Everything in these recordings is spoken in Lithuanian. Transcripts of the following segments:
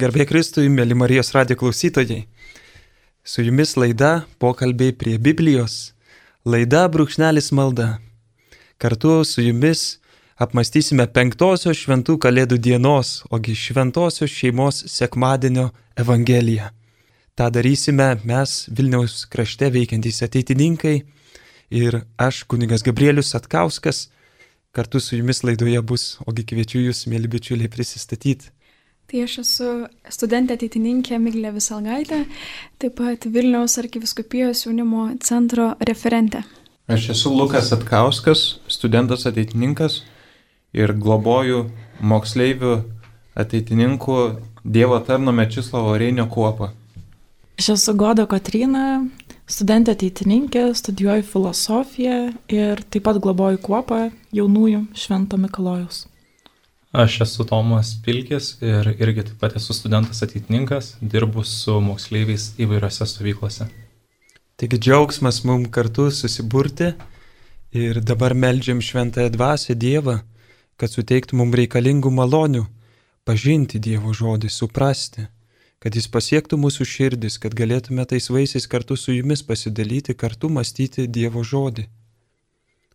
Garbė Kristui, mėly Marijos radijo klausytojai. Su jumis laida Pokalbiai prie Biblijos. Laida Brūkšnelis malda. Kartu su jumis apmąstysime 5-osios šventų kalėdų dienos, ogi šventosios šeimos sekmadienio Evangeliją. Ta darysime mes Vilniaus krašte veikiantys ateitininkai ir aš, kunigas Gabrielius Satkauskas. Kartu su jumis laidoje bus, ogi kviečiu jūs, mėly bičiuliai, prisistatyti. Tai aš esu studentė ateitininkė Miglė Visalgaitė, taip pat Vilniaus arkivyskupijos jaunimo centro referentė. Aš esu Lukas Satkauskas, studentas ateitininkas ir globoju moksleivių ateitininkų Dievo tarno Mečislovo Reinio kuopą. Aš esu Goda Kotryna, studentė ateitininkė, studijuoju filosofiją ir taip pat globoju kuopą jaunųjų Švento Mikalojaus. Aš esu Tomas Pilkis ir irgi taip pat esu studentas ateitininkas, dirbu su moksleiviais įvairiose stovyklose. Taigi džiaugsmas mums kartu susiburti ir dabar meldžiam Šventąją Dvasią Dievą, kad suteiktų mums reikalingų malonių, pažinti Dievo žodį, suprasti, kad jis pasiektų mūsų širdis, kad galėtume tais vaisiais kartu su jumis pasidalyti, kartu mąstyti Dievo žodį.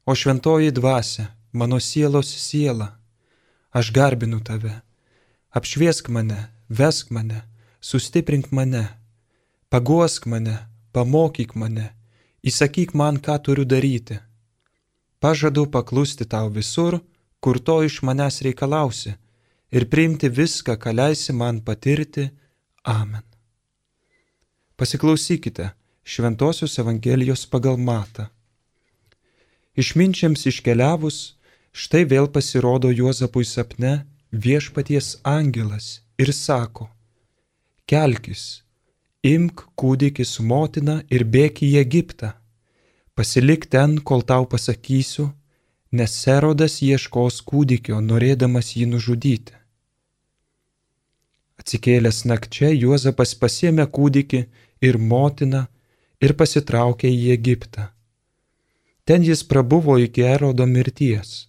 O Šventoji Dvasia, mano sielos siela, aš garbinu tave, apšviesk mane, vesk mane, sustiprink mane, paguosk mane, pamokyk mane, įsakyk man, ką turiu daryti. Pažadu paklusti tau visur, kur to iš manęs reikalausi, ir priimti viską, ką leisi man patirti. Amen. Pasiklausykite Šventosios Evangelijos pagal Matą. Išminčiams iškeliavus, štai vėl pasirodo Juozapui sapne viešpaties angelas ir sako: kelkis, imk kūdikį su motina ir bėk į Egiptą. Pasilik ten, kol tau pasakysiu, nes Erodas ieškos kūdikio, norėdamas jį nužudyti. Atsikėlęs nakčia, Juozapas pasiėmė kūdikį ir motiną ir pasitraukė į Egiptą. Ten jis prabuvo iki Erodo mirties.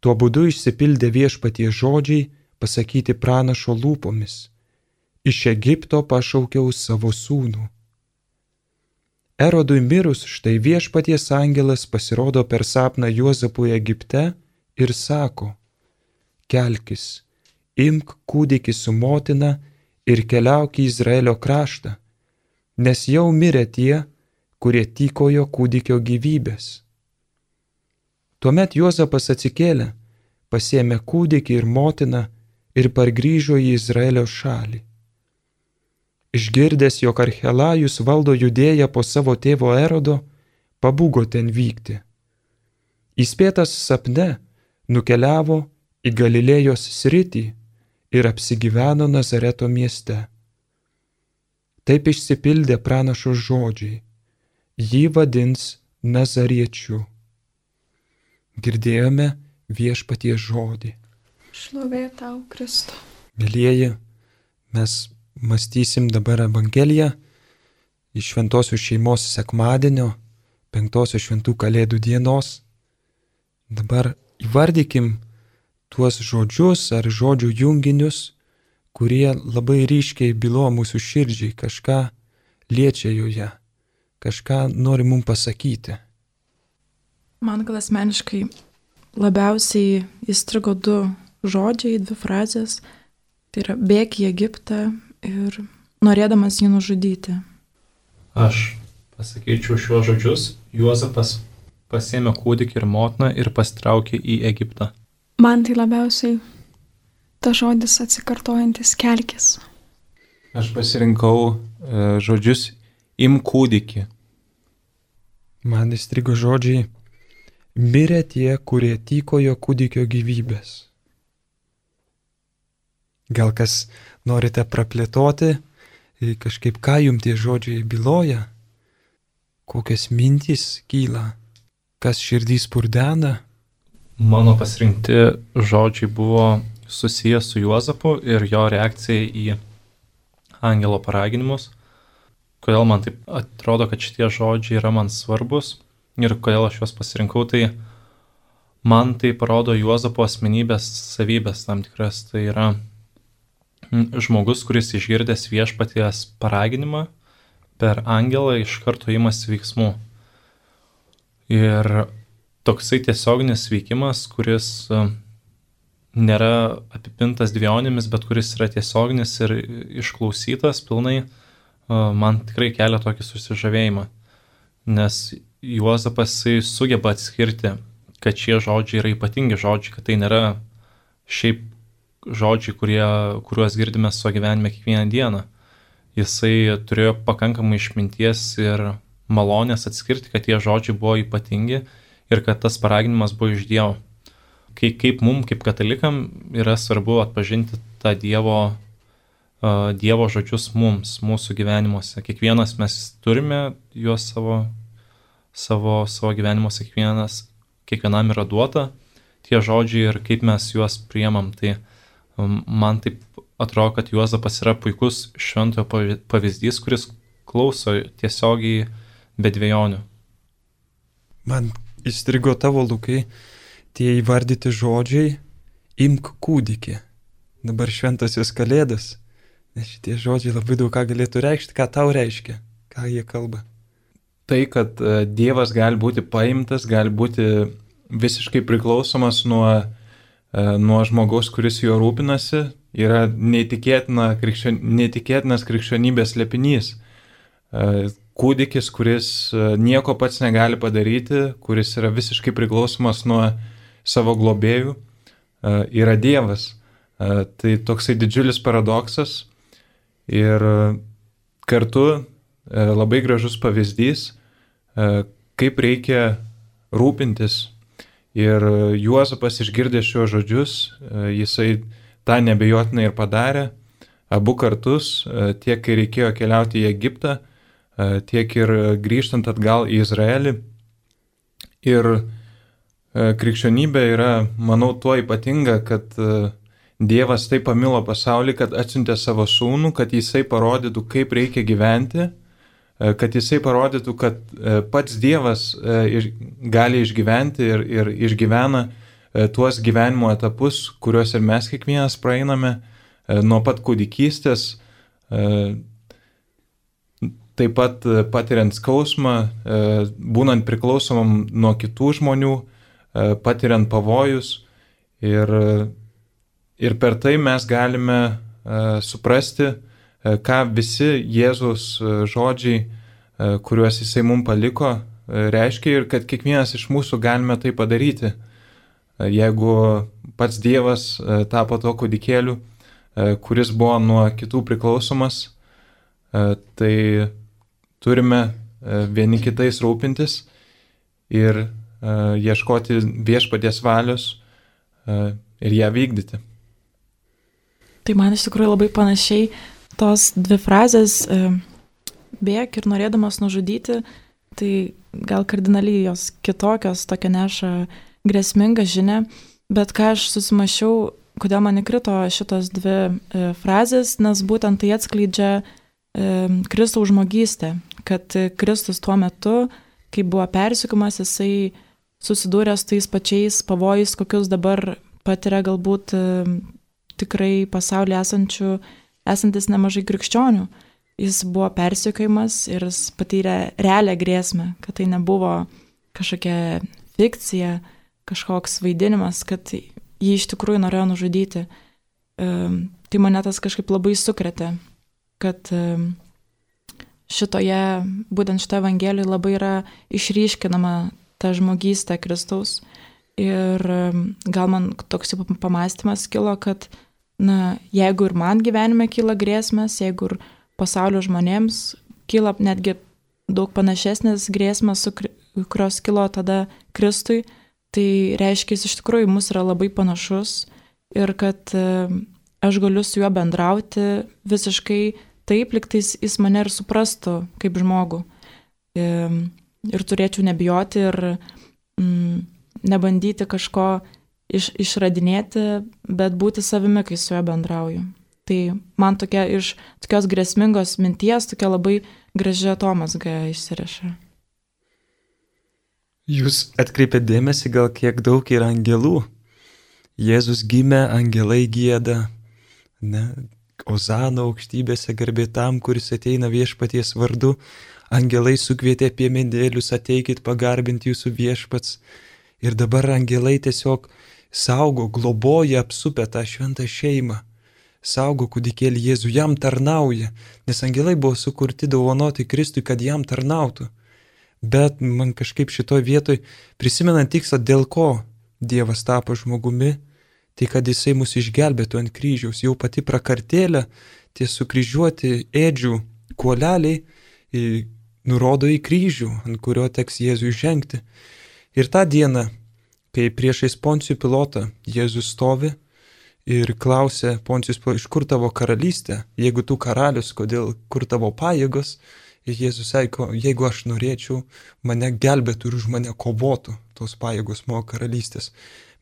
Tuo būdu išsipildė viešpaties žodžiai pasakyti pranašo lūpomis: iš Egipto pašaukiau savo sūnų. Erodui mirus, štai viešpaties angelas pasirodo per sapną Juozapui Egipte ir sako: kelkis, imk kūdikį su motina ir keliauk į Izraelio kraštą, nes jau mirė tie, kurie tykojo kūdikio gyvybės. Tuomet Juozapas atsikėlė, pasiėmė kūdikį ir motiną ir pargrįžo į Izraelio šalį. Išgirdęs, jog Archelajus valdo Judėją po savo tėvo Erodo, pabūgo ten vykti. Įspėtas sapne, nukeliavo į Galilėjos sritį ir apsigyveno Nazareto mieste. Taip išsipildė pranašo žodžiai: jį vadins Nazariečiu. Girdėjome viešpaties žodį. Šlovė tau, Kristų. Mėlieji, mes mąstysim dabar Evangeliją iš šventosios šeimos sekmadienio, 5-osios šventų kalėdų dienos. Dabar įvardykim tuos žodžius ar žodžių junginius, kurie labai ryškiai bylo mūsų širdžiai, kažką liečia joje, kažką nori mums pasakyti. Man gal asmeniškai labiausiai įstrigo 2 žodžiai, 2 frazės. Tai yra bėk į Egiptą ir norėdamas jį nužudyti. Aš pasakyčiau šiuos žodžius: Juozapas pasiėmė kūdikį ir motiną ir pasitraukė į Egiptą. Man tai labiausiai ta žodis atsikartojantis kelkis. Aš pasirinkau žodžius imk kūdikį. Man įstrigo žodžiai: mirė tie, kurie tykojo kūdikio gyvybės. Gal kas norite praplėtoti, kažkaip ką jums tie žodžiai byloja, kokias mintys kyla, kas širdį spurdena? Mano pasirinkti žodžiai buvo susijęs su Juozapu ir jo reakcija į angelo paraginimus. Kodėl man taip atrodo, kad šitie žodžiai yra man svarbus ir kodėl aš juos pasirinkau, tai man tai parodo Juozapo asmenybės savybės tam tikras. Tai yra žmogus, kuris išgirdęs viešpaties paraginimą per angelą iš karto imasi veiksmų. Ir toksai tiesioginis veikimas, kuris nėra apipintas dvejonėmis, bet kuris yra tiesioginis ir išklausytas pilnai, man tikrai kelia tokį susižavėjimą. Nes Juozapas sugeba atskirti, kad šie žodžiai yra ypatingi žodžiai, kad tai nėra šiaip žodžiai, kuriuos girdime savo gyvenime kiekvieną dieną. Jisai turėjo pakankamai išminties ir malonės atskirti, kad tie žodžiai buvo ypatingi ir kad tas paraginimas buvo iš Dievo. Kaip mums, kaip katalikam, yra svarbu atpažinti tą Dievo žodžius mums, mūsų gyvenimuose. Kiekvienas mes turime juos savo gyvenimuose, kiekvienam yra duota tie žodžiai ir kaip mes juos priemam. Tai man taip atrodo, kad Juozapas yra puikus šventojo pavyzdys, kuris klauso tiesiogiai be dvejonių. Man įstrigo tavo, Lukai, tie įvardyti žodžiai imk kūdikį. Dabar šventasis Kalėdas. Nes šitie žodžiai labai daug ką galėtų reikšti. Ką tau reiškia? Ką jie kalba? Tai, kad Dievas gali būti paimtas, gali būti visiškai priklausomas nuo žmogaus, kuris juo rūpinasi, yra neįtikėtinas krikščionybės slėpinys. Kūdikis, kuris nieko pats negali padaryti, kuris yra visiškai priklausomas nuo savo globėjų, yra Dievas. Tai toksai didžiulis paradoksas ir kartu labai gražus pavyzdys, kaip reikia rūpintis. Ir Juozapas išgirdė šios žodžius, jisai tą nebejotinai ir padarė, abu kartus, tiek kai reikėjo keliauti į Egiptą, tiek ir grįžtant atgal į Izraelį. Ir krikščionybė yra, manau, tuo ypatinga, kad Dievas taip pamilo pasaulį, kad atsiuntė savo sūnų, kad jisai parodytų, kaip reikia gyventi, kad jisai parodytų, kad pats Dievas gali išgyventi ir išgyvena tuos gyvenimo etapus, kuriuos ir mes kiekvienas praeiname, nuo pat kūdikystės, taip pat patiriant skausmą, būnant priklausomam nuo kitų žmonių, patiriant pavojus. Ir per tai mes galime suprasti, ką visi Jėzaus žodžiai, kuriuos jisai mums paliko, reiškia ir kad kiekvienas iš mūsų galime tai padaryti. Jeigu pats Dievas tapo to kūdikėliu, kuris buvo nuo kitų priklausomas, tai turime vieni kitais rūpintis ir ieškoti viešpaties valios ir ją vykdyti. Tai man iš tikrųjų labai panašiai tos dvi frazės bėk ir norėdamas nužudyti, tai gal kardinaliai jos kitokios, tokia neša grėsmingą žinią, bet ką aš susimašiau, kodėl man įkrito šitos dvi frazės, nes būtent tai atskleidžia Kristaus žmogystę, kad Kristus tuo metu, kai buvo persiekiamas, jisai susidūrė su tais pačiais pavojais, kokius dabar patiria galbūt tikrai pasaulyje esantis nemažai krikščionių. Jis buvo persekiojamas ir jis patyrė realią grėsmę, kad tai nebuvo kažkokia fikcija, kažkoks vaidinimas, kad jį iš tikrųjų norėjo nužudyti. Tai mane tas kažkaip labai sukrėtė, kad būtent šitoje Evangelijoje labai yra išryškinama ta žmogystė Kristaus. Ir gal man toks pamąstymas kilo, kad jeigu ir man gyvenime kyla grėsmės, jeigu ir pasaulio žmonėms kyla netgi daug panašesnės grėsmės, kurios kilo tada Kristui, tai reiškia, jis iš tikrųjų mus yra labai panašus ir kad aš galiu su juo bendrauti visiškai taip, lyg tais jis mane ir suprastų kaip žmogų. Ir turėčiau nebijoti ir nebandyti kažko išradinėti, bet būti savimi, kai su juo bendrauju. Tai man iš tokios grėsmingos minties tokia labai graži atomazga išsiriša. Jūs atkreipėt dėmesį, gal kiek daug yra angelų. Jėzus gimė, angelai gieda. Ne? Ozana aukštybėse garbė tam, kuris ateina viešpaties vardu. Angelai sukvietė piemenėlius, ateikit pagarbinti jūsų viešpats. Ir dabar angelai tiesiog saugo, globoja apsupę tą šventą šeimą. Saugo kūdikėlį Jėzų, jam tarnauja, nes angelai buvo sukurti dovanoti Kristui, kad jam tarnautų. Bet man kažkaip šitoj vietoj, prisimenant tikslą, dėl ko Dievas tapo žmogumi, tai kad jisai mus išgelbėtų ant kryžiaus. Jau pati prakartėlė, tie sukryžiuoti ėdžių kuoleliai nurodo į kryžių, ant kurio teks Jėzui žengti. Ir tą dieną, kai priešais Poncijų Pilotą Jėzus stovi ir klausia Poncijus, iš kur tavo karalystė, jeigu tu karalius, kur tavo pajėgos, ir Jėzus sako, jeigu aš norėčiau, mane gelbėtų ir už mane kovotų tos pajėgos mano karalystės.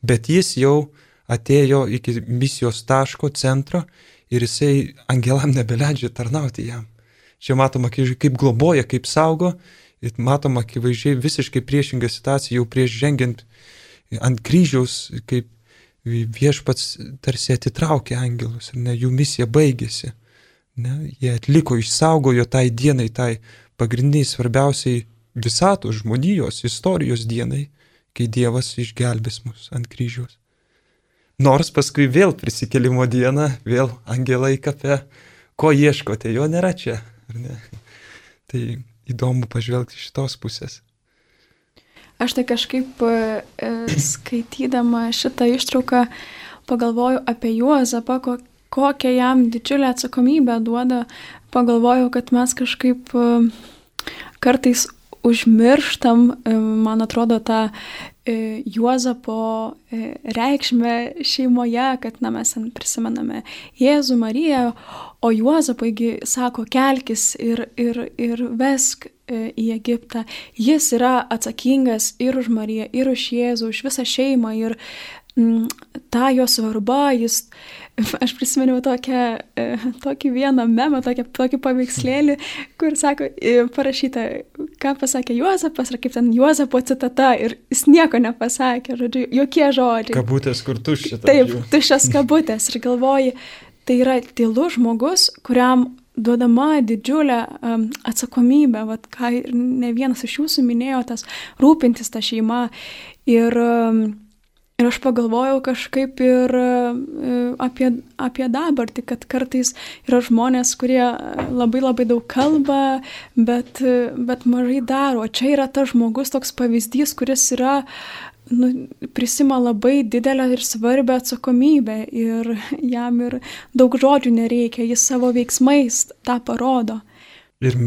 Bet jis jau atėjo iki misijos taško centro ir jisai angelam nebeleidžia tarnauti jam. Čia matoma, kaip globoja, kaip saugo, ir matoma akivaizdžiai visiškai priešinga situacija, jau prieš žengiant ant kryžiaus, kaip viešpats tarsi atitraukė angelus, ir jų misija baigėsi. Jie atliko, išsaugojo tai dienai, tai pagrindiniai svarbiausiai visatos žmonijos, istorijos dienai, kai Dievas išgelbės mus ant kryžiaus. Nors paskui vėl prisikėlimo dieną, vėl angelai kape, ko ieškote, jo nėra čia, ar ne? Tai įdomu pažvelgti iš šitos pusės. Aš tai kažkaip skaitydama šitą ištrauką pagalvoju apie Juozapą, kokią jam didžiulę atsakomybę duoda. Pagalvoju, kad mes kažkaip kartais užmirštam, man atrodo, tą Juozapo reikšmę šeimoje, kad mes prisimename Jėzų, Mariją, o Juozapaigi sako, kelkis ir vesk į Egiptą. Jis yra atsakingas ir už Mariją, ir už Jėzų, už visą šeimą, ir ta jo svarba, aš prisiminiau tokį vieną memą, tokį paveikslėlį, kur sako, parašyta, ką pasakė Juozapas, ar kaip ten Juozapo citata, ir jis nieko nepasakė, žodžiu, jokie žodžiai. Kabutės, kur tuščia. Taip, tuščias kabutės, ir galvoji, tai yra tylus žmogus, kuriam duodama didžiulė atsakomybė, ką ne vienas iš jūsų minėjo, tas rūpintis tą šeimą. Ir aš pagalvojau kažkaip ir apie dabartį, kad kartais yra žmonės, kurie labai labai daug kalba, bet mažai daro. O čia yra tas žmogus, toks pavyzdys, kuris yra, prisima labai didelę ir svarbią atsakomybę ir jam ir daug žodžių nereikia, jis savo veiksmais tą parodo. Ir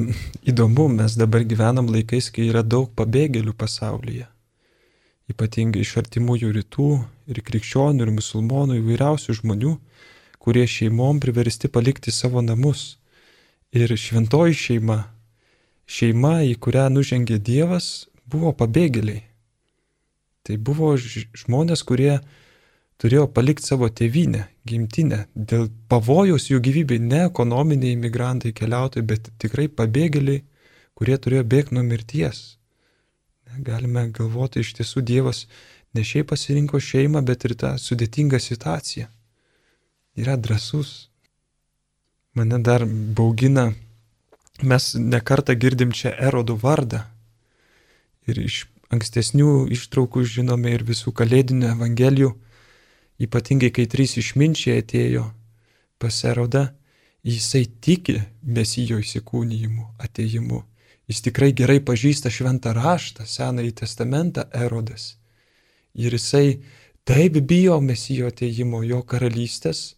įdomu, mes dabar gyvenam laikais, kai yra daug pabėgėlių pasaulyje. Ypatingai iš artimųjų rytų ir krikščionių ir musulmonų įvairiausių žmonių, kurie šeimom priversti palikti savo namus. Ir šventoji šeima, į kurią nužengė Dievas, buvo pabėgėliai. Tai buvo žmonės, kurie turėjo palikti savo tėvynę, gimtinę, dėl pavojaus jų gyvybei, ne ekonominiai imigrantai, keliautojai, bet tikrai pabėgėliai, kurie turėjo bėgti nuo mirties. Galime galvoti, iš tiesų Dievas ne šiaip pasirinko šeimą, bet ir tą sudėtingą situaciją. Yra drąsus. Mane dar baugina, mes nekartą girdim čia Erodo vardą. Ir iš ankstesnių ištraukų žinome ir visų kalėdinių evangelijų, ypatingai kai 3 išminčiai atėjo pas Erodą, jisai tiki Mesijo įsikūnijimu, atėjimu. Jis tikrai gerai pažįsta šventą raštą, Senąjį testamentą Erodas. Ir jisai taip bijo Mesijo atėjimo, jo karalystės,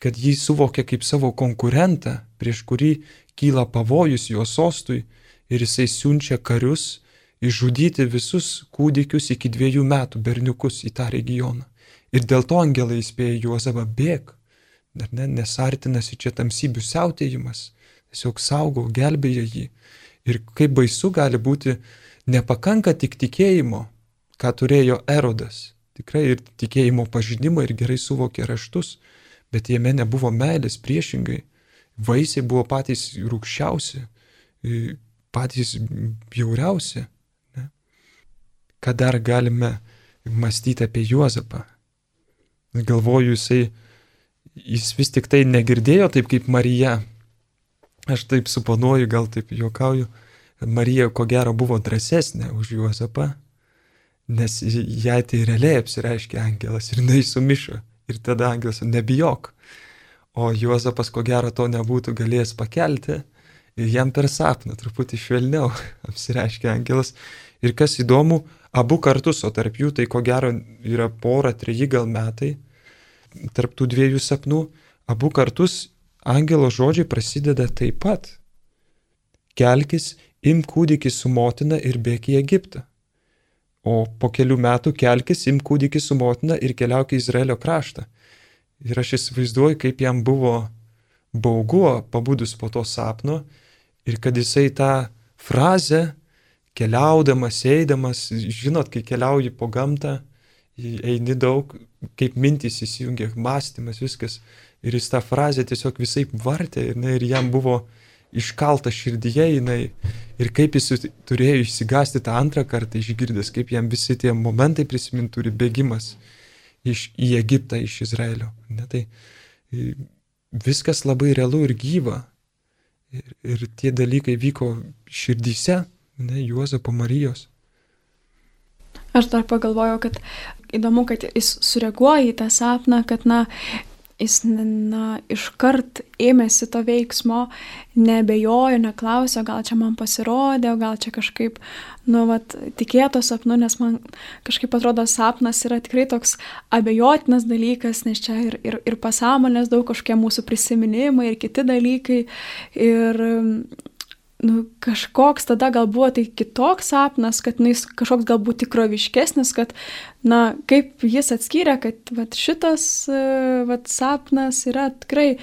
kad jį suvokia kaip savo konkurentą, prieš kurį kyla pavojus jo sostui, ir jisai siunčia karius išžudyti visus kūdikius iki 2 metų berniukus į tą regioną. Ir dėl to angelai įspėja Juozapą, bėk, nes artinasi čia tamsybių siautėjimas, tiesiog saugo, gelbėja jį. Ir kaip baisu gali būti, nepakanka tik tikėjimo, ką turėjo Erodas. Tikrai ir tikėjimo pažinimo ir gerai suvokė raštus, bet jame nebuvo meilės, priešingai. Vaisiai buvo patys rūgščiausi, patys bjauriausi. Ne? Ką dar galime mąstyti apie Juozapą? Galvoju, jis vis tik tai negirdėjo taip kaip Marija. Aš taip suponuoju, gal taip juokauju, kad Marija ko gero buvo drąsesnė už Juozapą, nes jai tai realiai apsireiškė angelas ir jinai sumišo. Ir tada angelas, nebijok. O Juozapas ko gero to nebūtų galėjęs pakelti ir jam per sapną truputį švelniau apsireiškė angelas. Ir kas įdomu, abu kartus, o tarp jų tai ko gero yra 2-3 gal metai, tarp tų 2 sapnų, abu kartus angelo žodžiai prasideda taip pat. Kelkis, imk kūdikį su motina ir bėk į Egiptą. O po kelių metų kelkis, imk kūdikį su motina ir keliauk į Izraelio kraštą. Ir aš įsivaizduoju, kaip jam buvo baugu pabudus po to sapno ir kad jisai tą frazę keliaudamas, eidamas, žinot, kai keliauji po gamtą, eini daug, kaip mintys įsijungia, mąstymas, viskas. Ir jis tą frazę tiesiog visaip vartė ir jam buvo iškalta širdyje jinai. Ir kaip jis turėjo išsigąsti tą antrą kartą išgirdęs, kaip jam visi tie momentai prisiminti turi bėgimas į Egiptą, iš Izraelio. Ne, tai viskas labai realu ir gyva. Ir tie dalykai vyko širdyse, ne, Juozapo, Marijos. Aš dar pagalvojau, kad įdomu, kad jis sureaguoja į tą sapną, kad, jis iškart ėmėsi to veiksmo, nebejojo, neklausė, gal čia man pasirodė, gal čia kažkaip, tikėto sapnu, nes man kažkaip atrodo sapnas yra tikrai toks abejotinas dalykas, nes čia ir pasąmonės daug kažkokie mūsų prisiminimai ir kiti dalykai. Ir kažkoks tada gal buvo tai kitoks sapnas, kad jis kažkoks galbūt tikroviškesnis, kad, kaip jis atskyrė, kad šitas sapnas yra tikrai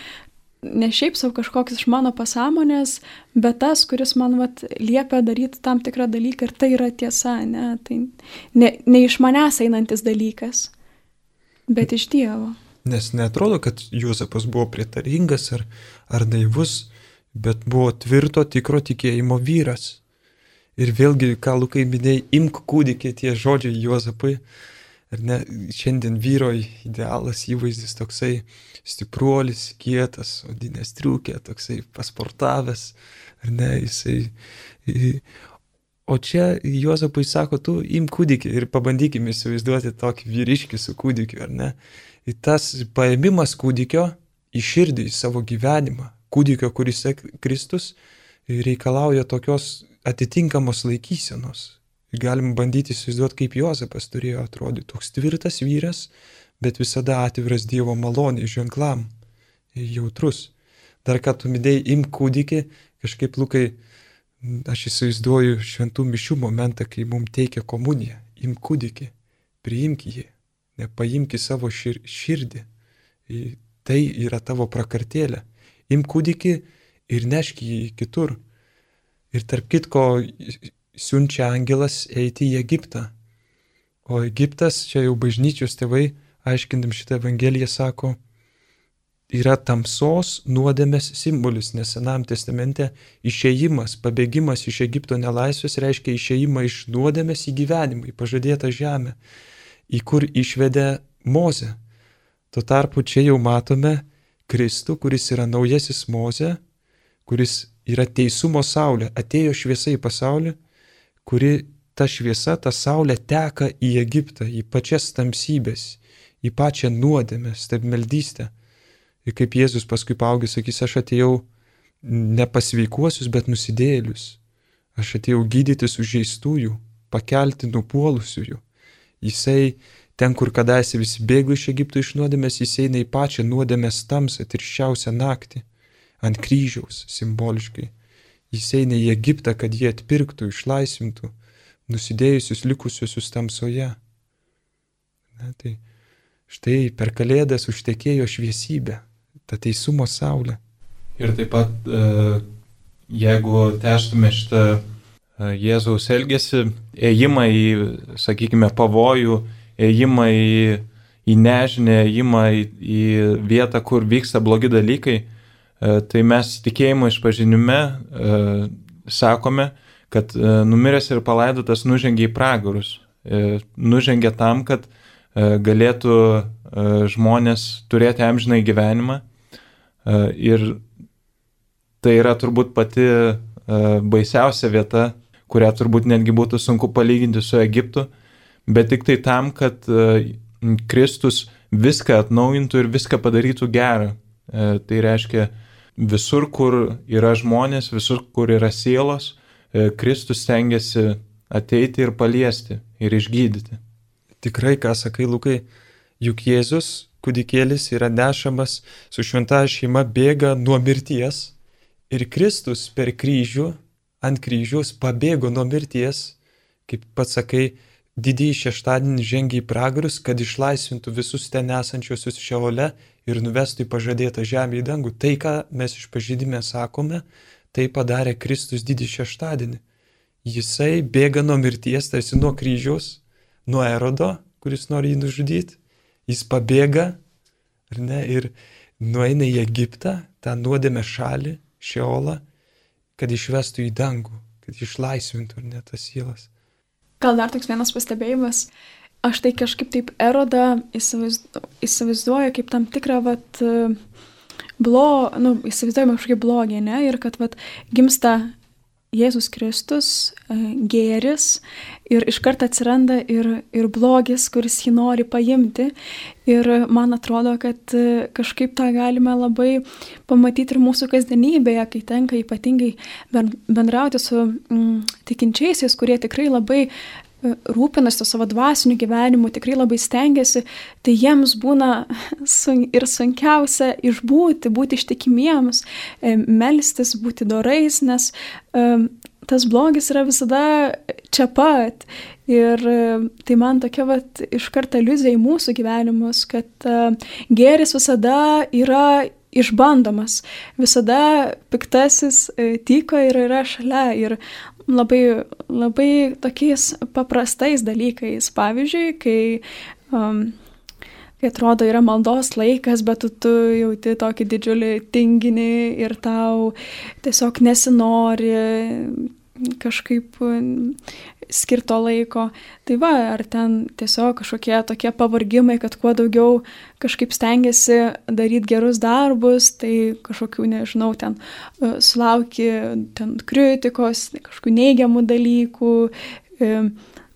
ne šiaip savo kažkoks iš mano pasąmonės, bet tas, kuris man liepia daryti tam tikrą dalyką ir tai yra tiesa, ne, tai ne iš manęs einantis dalykas, bet iš Dievo. Nes neatrodo, kad Juozapas buvo prietaringas ar naivus, bet buvo tvirto, tikro tikėjimo vyras. Ir vėlgi, ką Lukai minėjai, imk kūdikį, tie žodžiai Juozapui. Ar ne, šiandien vyro idealas, įvaizdis toksai stipruolis, kietas, odinė striukė, toksai pasportavęs. Ar ne, jisai. O čia Juozapui sako, tu imk kūdikį ir pabandykime įsivaizduoti tokį vyriškį su kūdikiu, ar ne. Ir tas paėmimas kūdikio į širdį, į savo gyvenimą, kūdikio, kuris Kristus, reikalauja tokios atitinkamos laikysenos. Galim bandyti įsivaizduoti, kaip Juozapas turėjo atrodyti. Toks tvirtas vyras, bet visada atviras Dievo maloniai, ženklam, jautrus. Dar ką tu minėjai, imk kūdikį, kažkaip, Lukai, aš įsivaizduoju šventų mišių momentą, kai mums teikia komuniją. Imk kūdikį, priimk jį, nepaimk į savo širdį. Tai yra tavo prakartėlė. Imk kūdikį ir nešk jį kitur. Ir tarp kitko siunčia angelas eiti į Egiptą. O Egiptas, čia jau bažnyčios tėvai, aiškindam šitą evangeliją, sako, yra tamsos nuodėmės simbolis, nes Senajame testamente išėjimas, pabėgimas iš Egipto nelaisvės reiškia išėjimą iš nuodėmės į gyvenimą, į pažadėtą žemę, į kur išvedė Mozę. Tuo tarpu čia jau matome Kristų, kuris yra naujasis Mozė, kuris yra teisumo saulė, atėjo šviesa į pasaulį, kuri ta šviesa, ta saulė teka į Egiptą, į pačias tamsybės, į pačią nuodėmę, stabmeldystę. Ir kaip Jėzus paskui paaugęs sakys, aš atėjau ne pas sveikuosius, bet nusidėjėlius. Aš atėjau gydyti sužeistųjų, pakelti nupuolusiųjų. Jisai ten, kur kadaise visi bėgo iš Egipto iš nuodėmės, jis eina į pačią nuodėmės tamsą, tirščiausią naktį, ant kryžiaus simboliškai. Jis eina į Egiptą, kad jie atpirktų, išlaisvintų nusidėjusius likusiusius tamsoje. Ne, tai štai per Kalėdas užtekėjo šviesybė, ta teisumo saulė. Ir taip pat, jeigu tęstume šitą Jėzaus elgesį, ėjimą į, sakykime, pavojų, ėjimą į nežinę, ėjimą į vietą, kur vyksta blogi dalykai, tai mes tikėjimo išpažinime sakome, kad numiręs ir palaidotas nužengė į pragarus. Nužengė tam, kad galėtų žmonės turėti amžinai gyvenimą. Ir tai yra turbūt pati baisiausia vieta, kurią turbūt netgi būtų sunku palyginti su Egiptu, bet tik tai tam, kad Kristus viską atnaujintų ir viską padarytų gerą. Tai reiškia, visur, kur yra žmonės, visur, kur yra sielos, Kristus stengiasi ateiti ir paliesti ir išgydyti. Tikrai, ką sakai, Lukai, juk Jėzus, kūdikėlis, yra nešamas su šventąja šeima, bėga nuo mirties ir Kristus per kryžių, ant kryžiaus pabėgo nuo mirties, kaip pats sakai, didįjį šeštadienį žengė į pragarus, kad išlaisvintų visus ten esančiosius Šeole ir nuvestų į pažadėtą žemę į dangų. Tai, ką mes išpažinime sakome, tai padarė Kristus didį šeštadienį. Jisai bėga nuo mirties, tarsi nuo kryžiaus, nuo Erodo, kuris nori jį nužudyti. Jis pabėga, ar ne, ir nueina į Egiptą, tą nuodėmę šalį, Šeolą, kad išvestų į dangų, kad išlaisvintų, ar ne, tas sielas. Gal dar toks vienas pastebėjimas. Aš tai kažkaip taip Erodą įsivaizduoju kaip tam tikrą, įsivaizduojama kažkaip blogį, ne? Ir kad, gimsta Jėzus Kristus, gėris, ir iškart atsiranda ir blogis, kuris jį nori paimti. Ir man atrodo, kad kažkaip tą galime labai pamatyti ir mūsų kasdienybėje, kai tenka ypatingai bendrauti su tikinčiaisiais, kurie tikrai labai rūpinasi savo dvasiniu gyvenimu, tikrai labai stengiasi, tai jiems būna ir sunkiausia išbūti, būti ištikimiems, melstis, būti dorais, nes tas blogis yra visada čia pat. Ir tai man tokia iškart aliuzija į mūsų gyvenimus, kad gėris visada yra išbandomas, visada piktasis tyko ir yra šalia. Ir labai, labai tokiais paprastais dalykais. Pavyzdžiui, kai atrodo yra maldos laikas, bet tu jauti tokį didžiulį tinginį ir tau tiesiog nesinori kažkaip skirto laiko. Tai ar ten tiesiog kažkokie tokie pavargimai, kad kuo daugiau kažkaip stengiasi daryti gerus darbus, tai kažkokių, nežinau, ten sulauki ten kritikos, kažkokių neigiamų dalykų,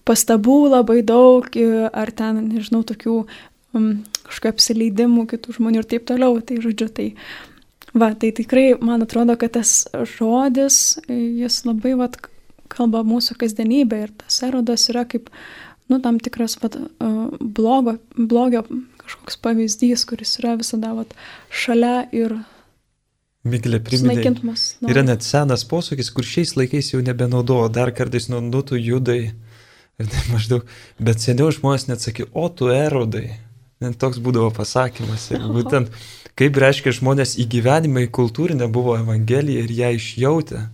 pastabų labai daug, ar ten, nežinau, tokių kažkokių apsileidimų kitų žmonių ir taip toliau. Tai žodžiu, tai tikrai man atrodo, kad tas žodis, jis labai kalba mūsų kasdienybę ir tas Erodas yra kaip, tam tikras blogio kažkoks pavyzdys, kuris yra visada šalia ir Miglė priminė. Yra net senas posakis, kur šiais laikais jau nebenaudojo, dar kartais nuodutų judai, maždaug, bet seniau žmonės net sakė, o tu Erodai. Net toks būdavo pasakymas. Ir būtent, kaip reiškia žmonės į gyvenimą, į kultūrinę buvo Evangelija ir ją išjautė.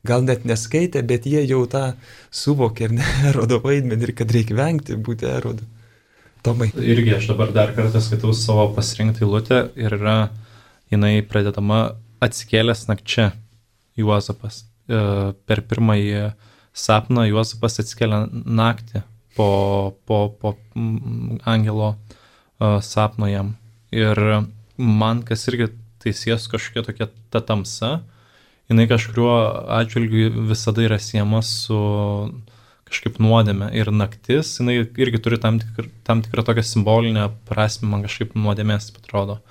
Gal net neskaitė, bet jie jau tą suvokė, ir ne Erodo vaidmenį, ir kad reikia vengti būti Erodu. Tomai. Irgi aš dabar dar kartą skaitau savo pasirinktą eilutę ir jinai pradedama atsikėlęs nakčia Juozapas. Per pirmąjį sapną Juozapas atsikėlė naktį po angelo sapno jam. Ir man, kas irgi teisės kažkokia tokia ta tamsa, jinai kažkuriuo atžvilgiu visada yra siejama su kažkaip nuodėme. Ir naktis, jinai irgi turi tam tikrą tokią simbolinę prasmę, man kažkaip nuodėmės atrodo.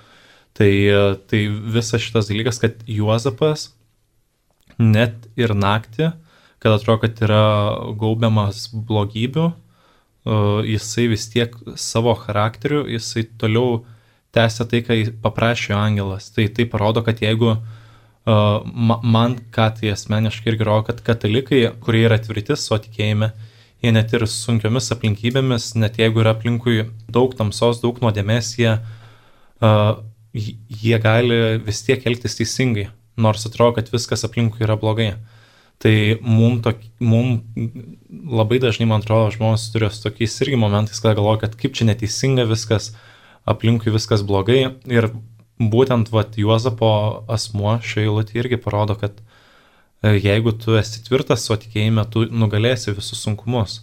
Tai visas šitas dalykas, kad Juozapas net ir naktį, kad atrodo, kad yra gaubiamas blogybių, jisai vis tiek savo charakteriu, jisai toliau tęsia tai, ką paprašė angelas. Tai parodo, kad jeigu man, ką tai asmeniškai irgi rodo, kad katalikai, kurie yra tvirti savo tikėjime, jie net ir sunkiomis aplinkybėmis, net jeigu yra aplinkui daug tamsos, daug nuodėmės, jie gali vis tiek elgtis teisingai, nors atrodo, kad viskas aplinkui yra blogai. Tai mum labai dažnai, man atrodo, žmonės turi su tokiais irgi momentais, kad galvoja, kad kaip čia neteisinga viskas, aplinkui viskas blogai. Ir būtent Juozapo asmuo šioje eilutėje irgi parodo, kad jeigu tu esi tvirtas savo tikėjime, tu nugalėsi visus sunkumus.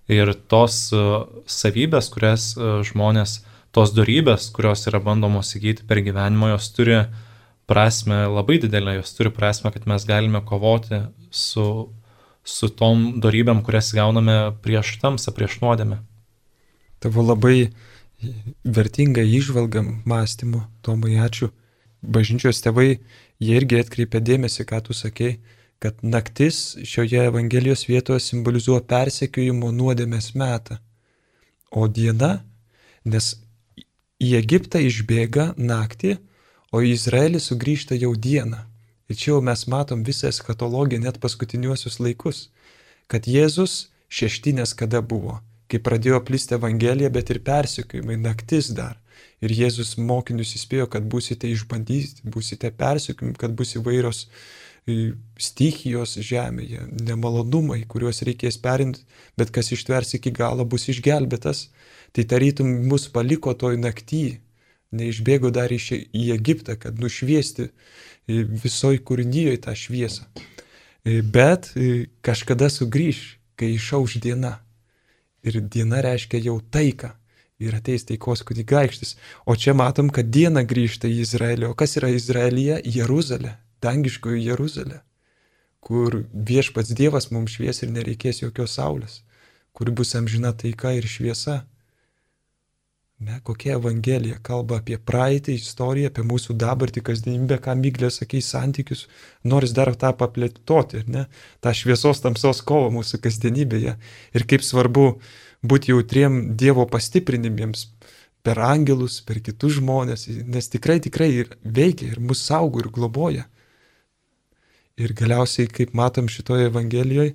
Ir tos savybės, kurias žmonės tos dorybės, kurios yra bandomos įgyti per gyvenimą, jos turi prasme labai didelę, jos turi prasme, kad mes galime kovoti su tom dorybėm, kurias gauname prieš tamsą, prieš nuodėmę. Tavo labai vertinga įžvalga mąstymo, Tomai, ačiū. Bažnyčios tėvai, jie irgi atkreipia dėmesį, ką tu sakei, kad naktis šioje Evangelijos vietoje simbolizuoja persekiojimo nuodėmės metą. O diena, nes į Egiptą išbėga naktį, o į Izraelį sugrįžta jau dieną. Ir čia jau mes matom visą eskatologiją, net paskutiniuosius laikus, kad Jėzus šeštinės kada buvo, kai pradėjo plisti Evangelija, bet ir persekiojimai, naktis dar. Ir Jėzus mokinius įspėjo, kad būsite išbandyti, būsite persekiojami, kad bus įvairios stichijos žemėje, nemalonumai, kuriuos reikės perinti, bet kas ištvers iki galo bus išgelbėtas. Tai tarytum mus paliko toj nakty, neišbėgo dar į Egiptą, kad nušviesti visoj kūrinyje tą šviesą. Bet kažkada sugrįš, kai išauš diena. Ir diena reiškia jau taiką. Ir ateis taikos kunigaikštis. O čia matom, kad diena grįžta į Izraelį. O kas yra Izraelyje? Jeruzalė. Dangiškoji Jeruzalė, kur viešpats Dievas mums švies ir nereikės jokios saulės, kur bus amžina taika ir šviesa. Ne, kokia Evangelija kalba apie praeitį, istoriją, apie mūsų dabartį, kasdienybę, ką Miglė sakė, santykius, noris dar tą paplėtoti, ne, tą šviesos tamsos kovą mūsų kasdienybėje. Ir kaip svarbu būti jautriem Dievo pastiprinimiems per angelus, per kitus žmonės, nes tikrai veikia ir mus saugo ir globoja. Ir galiausiai, kaip matom šitoje Evangelijoje,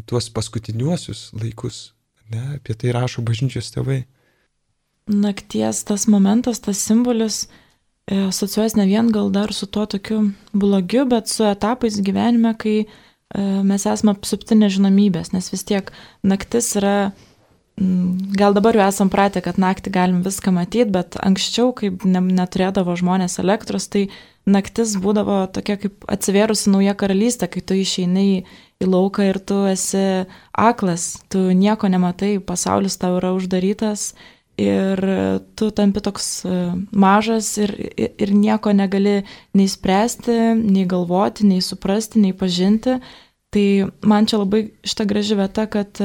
tuos paskutiniuosius laikus, ne, apie tai rašo bažnyčios tėvai. Nakties tas momentas, tas simbolis asociuojas ne vien gal dar su tuo tokiu blogiu, bet su etapais gyvenime, kai mes esame apsupti nežinomybės, nes vis tiek naktis yra, gal dabar jau esam pratę, kad naktį galim viską matyti, bet anksčiau, kaip neturėdavo žmonės elektros, tai naktis būdavo tokia kaip atsivėrusi nauja karalystė, kai tu išeini į lauką ir tu esi aklas, tu nieko nematai, pasaulis tau yra uždarytas ir tu tampi toks mažas ir nieko negali nei spręsti, nei galvoti, nei suprasti, nei pažinti. Tai man čia labai šita graži vieta, kad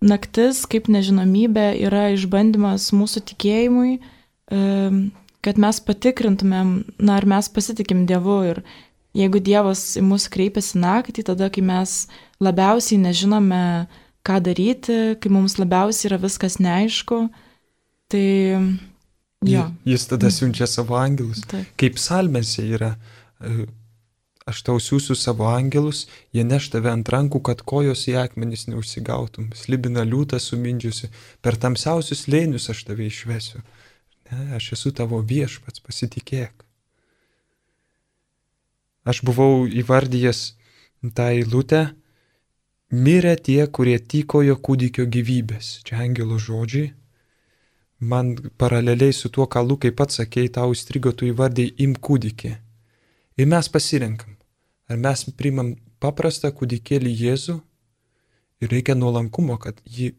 naktis kaip nežinomybė yra išbandymas mūsų tikėjimui, kad mes patikrintumėm, ar mes pasitikim Dievu. Ir jeigu Dievas į mus kreipiasi naktį, tada, kai mes labiausiai nežinome, ką daryti, kai mums labiausiai yra viskas neaišku, tai jo. Jis tada siunčia savo angelus. Taip. Kaip psalmėse yra, aš tau siūsiu savo angelus, jie neš tave ant rankų, kad kojos į akmenis neužsigautum, slibina liūtą sumindžiusi, per tamsiausius slėnius aš tave išvesiu. Ne, aš esu tavo viešpats, pasitikėk. Aš buvau įvardyjęs tą eilutę, mirė tie, kurie tykojo kūdikio gyvybės. Čia angelo žodžiai. Man paraleliai su tuo, ką Lukai pats sakei, tau įstrigo, tu įvardėjai im kūdikį. Ir mes pasirenkam. Ar mes priimam paprastą kūdikėlį Jėzų ir reikia nuolankumo, kad jį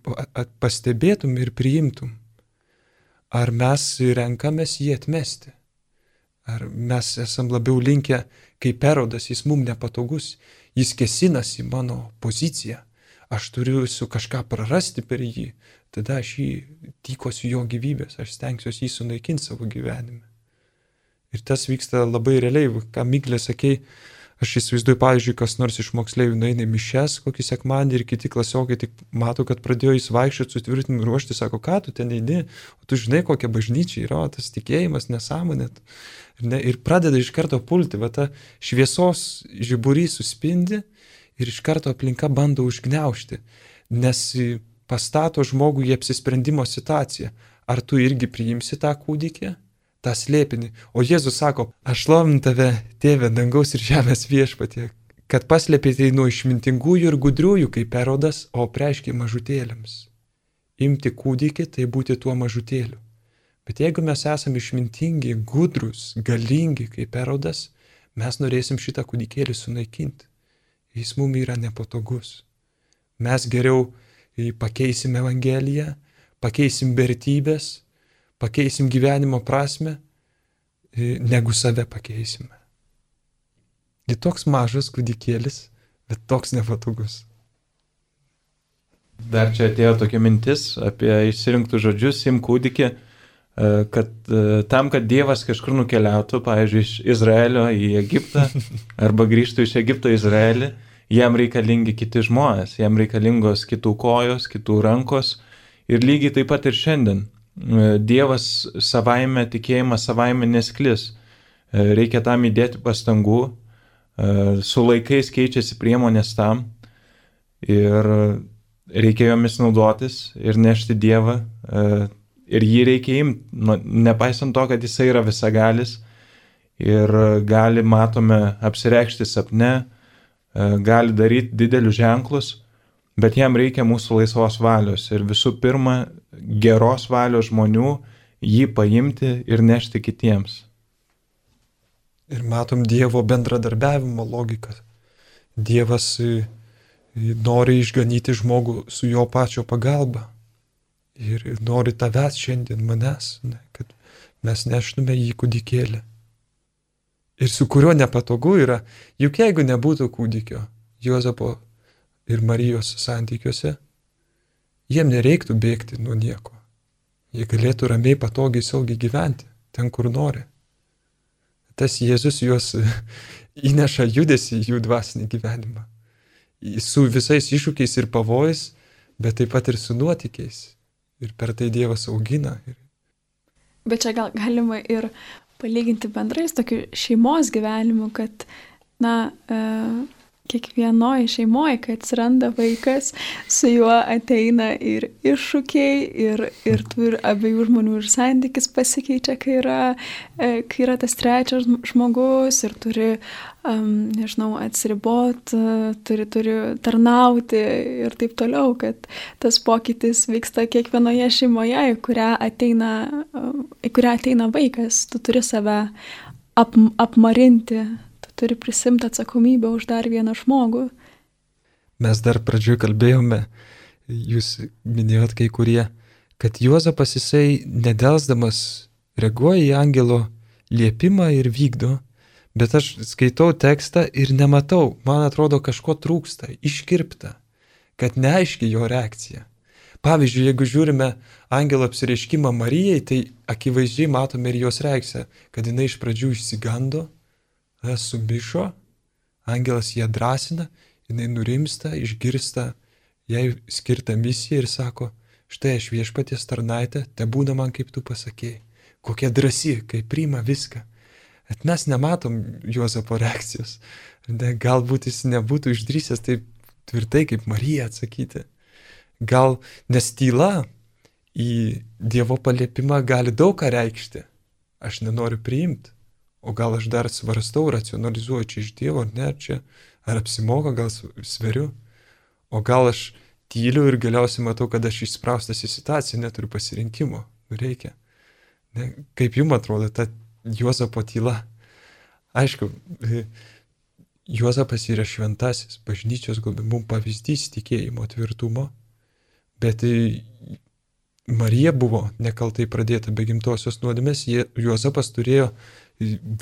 pastebėtum ir priimtum. Ar mes renkamės jį atmesti? Ar mes esam labiau linkę, kaip Erodas, jis mums nepatogus, jis kėsinasi į mano poziciją, aš turiu su kažką prarasti per jį, tada aš jį tykosiu jo gyvybės, aš stengsiuosi jį sunaikinti savo gyvenime. Ir tas vyksta labai realiai, ką Miglė sakei, aš įsivaizduoju, pavyzdžiui, kas nors iš moksleivių nueina į mišias kokį sekmadienį ir kiti klasiokai tik mato, kad pradėjo jis vaikščioti, sutvirtinimu ruošti, sako, ką tu ten eini, o tu žinai, kokia bažnyčia yra, tas tikėjimas, nesąmonė. Ir pradeda iš karto pulti, va ta šviesos žiburys suspindi ir iš karto aplinka bando užgniaužti, nes pastato žmogų į apsisprendimo situaciją. Ar tu irgi priimsi tą kūdikį? tą slėpinį. O Jėzus sako, aš šlovinu tave, tėve, dangaus ir žemės viešpatie, kad paslėpėte nuo išmintingųjų ir gudriųjų kaip Erodas, o preiškiai mažutėliams. Imti kūdikį, tai būti tuo mažutėliu. Bet jeigu mes esame išmintingi, gudrus, galingi kaip Erodas, mes norėsim šitą kūdikėlį sunaikinti. Jis mums yra nepatogus. Mes geriau pakeisim Evangeliją, pakeisim vertybės, pakeisim gyvenimo prasme, negu save pakeisime. Ir toks mažas kūdikėlis, bet toks nepatogus. Dar čia atėjo tokia mintis apie išsirinktų žodžius, im kūdikį, kad tam, kad Dievas kažkur nukeliautų, pavyzdžiui, iš Izraelio į Egiptą, arba grįžtų iš Egipto į Izraelį, jam reikalingi kiti žmonės, jam reikalingos kitų kojos, kitų rankos. Ir lygiai taip pat ir šiandien. Dievas savaime, tikėjimas savaime nesklis. Reikia tam įdėti pastangų, su laikais keičiasi priemonės tam ir reikia jomis naudotis ir nešti Dievą. Ir jį reikia imti, nepaisant to, kad jisai yra visagalis ir gali, matome, apsireikšti sapne, gali daryti didelius ženklus, bet jam reikia mūsų laisvos valios ir visų pirma geros valios žmonių jį paimti ir nešti kitiems. Ir matom Dievo bendradarbiavimo logiką. Dievas nori išganyti žmogų su jo pačio pagalba. Ir nori tavęs šiandien, manęs, ne, kad mes neštume jį kūdikėlį. Ir su kuriuo nepatogu yra, juk jeigu nebūtų kūdikio Juozapo ir Marijos santykiuose, jiem nereiktų bėgti nuo nieko. Jie galėtų ramiai, patogiai, saugiai gyventi, ten kur nori. Tas Jėzus juos įneša judesį į jų dvasinį gyvenimą. Su visais iššūkiais ir pavojais, bet taip pat ir su nuotykiais. Ir per tai Dievas augina. Bet čia gal galima ir palyginti bendrai su tokiu šeimos gyvenimu, kad, kiekvienoje šeimoje, kai atsiranda vaikas, su juo ateina ir iššūkiai, ir abiejų žmonių ir santykis pasikeičia, kai yra tas trečias žmogus ir turi, atsiriboti, turi tarnauti ir taip toliau, kad tas pokytis vyksta kiekvienoje šeimoje, į kurią ateina vaikas, tu turi save apmarinti. Turi prisimti atsakomybę už dar vieną žmogų. Mes dar pradžioje kalbėjome, jūs minėjot kai kurie, kad Juozapas jisai nedelsdamas reaguoja į angelo liepimą ir vykdo, bet aš skaitau tekstą ir nematau, man atrodo kažko trūksta, iškirpta, kad neaiški jo reakcija. Pavyzdžiui, jeigu žiūrime angelo apsireiškimą Marijai, tai akivaizdžiai matome ir jos reakciją, kad jinai iš pradžių išsigando, sumišo, angelas ją drąsina, jinai nurimsta, išgirsta jai skirtą misiją ir sako, štai aš viešpaties tarnaitė, te būna man kaip tu pasakėjai. Kokia drąsi, kai priima viską. Bet mes nematom Juozapo reakcijos. Galbūt jis nebūtų išdrįsęs taip tvirtai kaip Marija atsakyti. Gal nes tyla į Dievo paliepimą gali daug ką reikšti. Aš nenoriu priimti. O gal aš dar svarstau, racionalizuoju čia iš Dievo, ar ne, čia, ar apsimoka, gal sveriu. O gal aš tyliu ir galiausiai matau, kad aš įspraustas į situaciją, neturiu pasirinkimo, reikia. Ne, kaip jums atrodo ta Juozapo tyla? Aišku, Juozapas yra šventasis, bažnyčios mums pavyzdys tikėjimo tvirtumo, bet Marija buvo nekaltai pradėta be gimtosios nuodėmės, Juozapas turėjo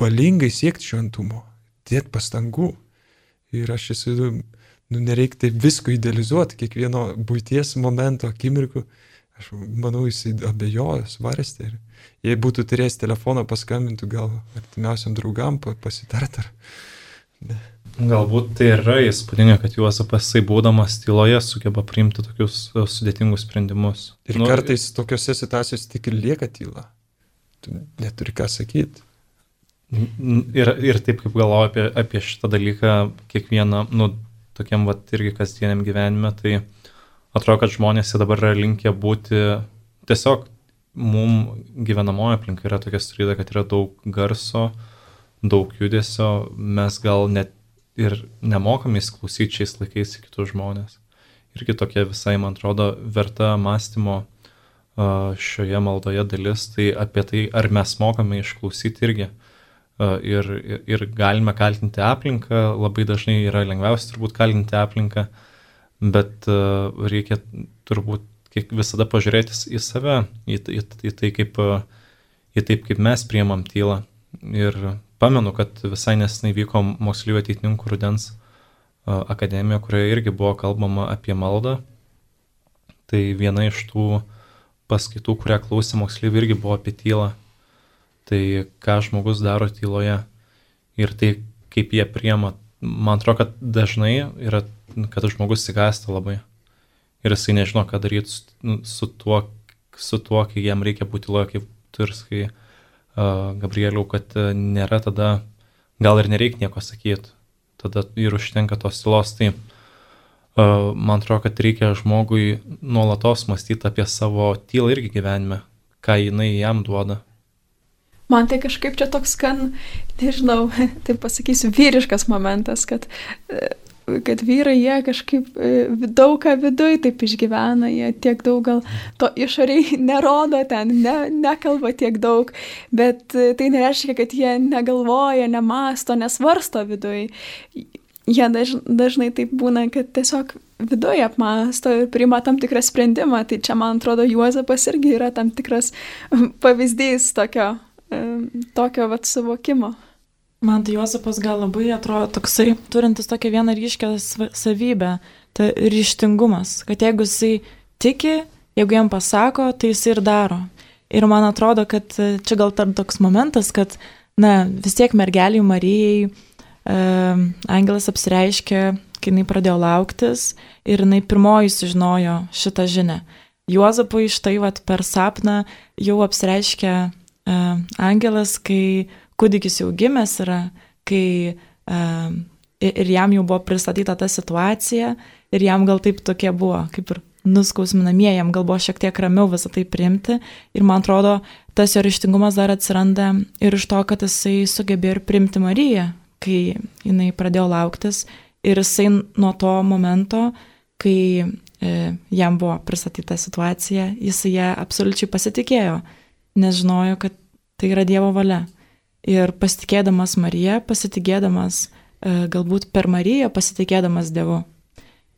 valingai siekti šventumo, dėti pastangų. Ir aš nereikia taip visko idealizuoti, kiekvieno buities momento, akimirkų. Aš manau, jis abejojo, svarstė. Ir jei būtų turėjęs telefoną, paskambintų gal artimiausiam draugam pasitart. Galbūt tai yra įspūdinga, kad Juozapas, būdamas tyloje, sugeba priimti tokius sudėtingus sprendimus. Ir kartais tokiose situacijose tik ir lieka tyla. Tu neturi ką sakyti. Ir taip kaip galvoju apie šitą dalyką kiekvieną, tokiam irgi kasdieniam gyvenime, tai atrodo, kad žmonės dabar yra linkę būti tiesiog mums gyvenamoji aplinka yra tokia sudaryta, kad yra daug garso, daug judesio, mes gal net ir nemokame įsiklausyti šiais laikais į kitus žmonės. Irgi tokia visai, man atrodo, verta mąstymo šioje maldoje dalis, tai apie tai, ar mes mokame išklausyti irgi. Ir galime kaltinti aplinką, labai dažnai yra lengviausia turbūt kaltinti aplinką, bet reikia turbūt visada pažiūrėti į save, į tai, kaip mes priimam tylą. Ir pamenu, kad visai nesenai vyko moksleivių ateitininkų rudens akademija, kurioje irgi buvo kalbama apie maldą. Tai viena iš tų paskaitų, kurią klausė moksleivių, irgi buvo apie tylą. Tai ką žmogus daro tyloje ir tai, kaip jie priima. Man atrodo, kad dažnai yra, kad žmogus sigąsta labai. Ir jisai nežino, ką daryti su tuo, kai jam reikia būti tyloje, kaip tu ir sakai, Gabrieliau, kad nėra tada, gal ir nereikia nieko sakyti. Tada ir užtenka tos tylos. Tai man atrodo, kad reikia žmogui nuolatos mąstyti apie savo tylą irgi gyvenime, ką jinai jam duoda. Man tai kažkaip čia toks nežinau, taip pasakysiu, vyriškas momentas, kad vyrai jie kažkaip daug ką viduj taip išgyvena, jie tiek daug gal to išoriai nerodo ten, nekalba tiek daug, bet tai nereiškia, kad jie negalvoja, nemąsto, nesvarsto viduj. Jie dažnai taip būna, kad tiesiog viduj apmąsto ir priima tam tikrą sprendimą. Tai čia, man atrodo, Juozapas irgi yra tam tikras pavyzdys tokio vat suvokimo. Man tai Juozapas gal labai atrodo toksai, turintis tokią vieną ryškę savybę, tai ryžtingumas, kad jeigu jisai tiki, jeigu jam pasako, tai jisai ir daro. Ir man atrodo, kad čia gal toks momentas, kad, vis tiek mergeliai Marijai angelas apsireiškė, kai jinai pradėjo lauktis ir jinai pirmoji sužinojo šitą žinią. Juozapui štai vat per sapną jau apsireiškė angelas, kai kūdikis jau gimęs yra, kai ir jam jau buvo pristatyta ta situacija ir jam gal taip tokie buvo, kaip ir nuskausminamieji, jam gal buvo šiek tiek ramiau visą tai priimti ir man atrodo, tas jo ryžtingumas dar atsiranda ir iš to, kad jisai sugebėjo ir priimti Mariją, kai jinai pradėjo lauktis ir jisai nuo to momento, kai jam buvo pristatyta situacija, jisai ją absoliučiai pasitikėjo, nes žinojo, kad tai yra Dievo valia. Ir pasitikėdamas Mariją, pasitikėdamas galbūt per Mariją, pasitikėdamas Dievu.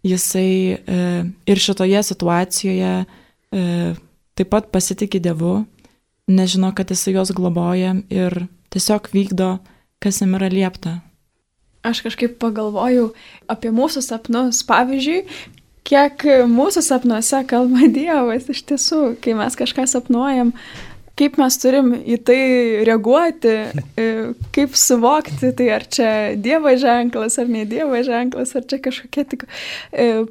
Jisai ir šitoje situacijoje taip pat pasitikė Dievu, nežino, kad jisai jos globoja ir tiesiog vykdo, kas jam yra liepta. Aš kažkaip pagalvojau apie mūsų sapnus. Pavyzdžiui, kiek mūsų sapnuose kalba Dievas iš tiesų, kai mes kažką sapnuojam, kaip mes turim į tai reaguoti, kaip suvokti, tai ar čia Dievo ženklas, ar ne Dievo ženklas, ar čia kažkokia tik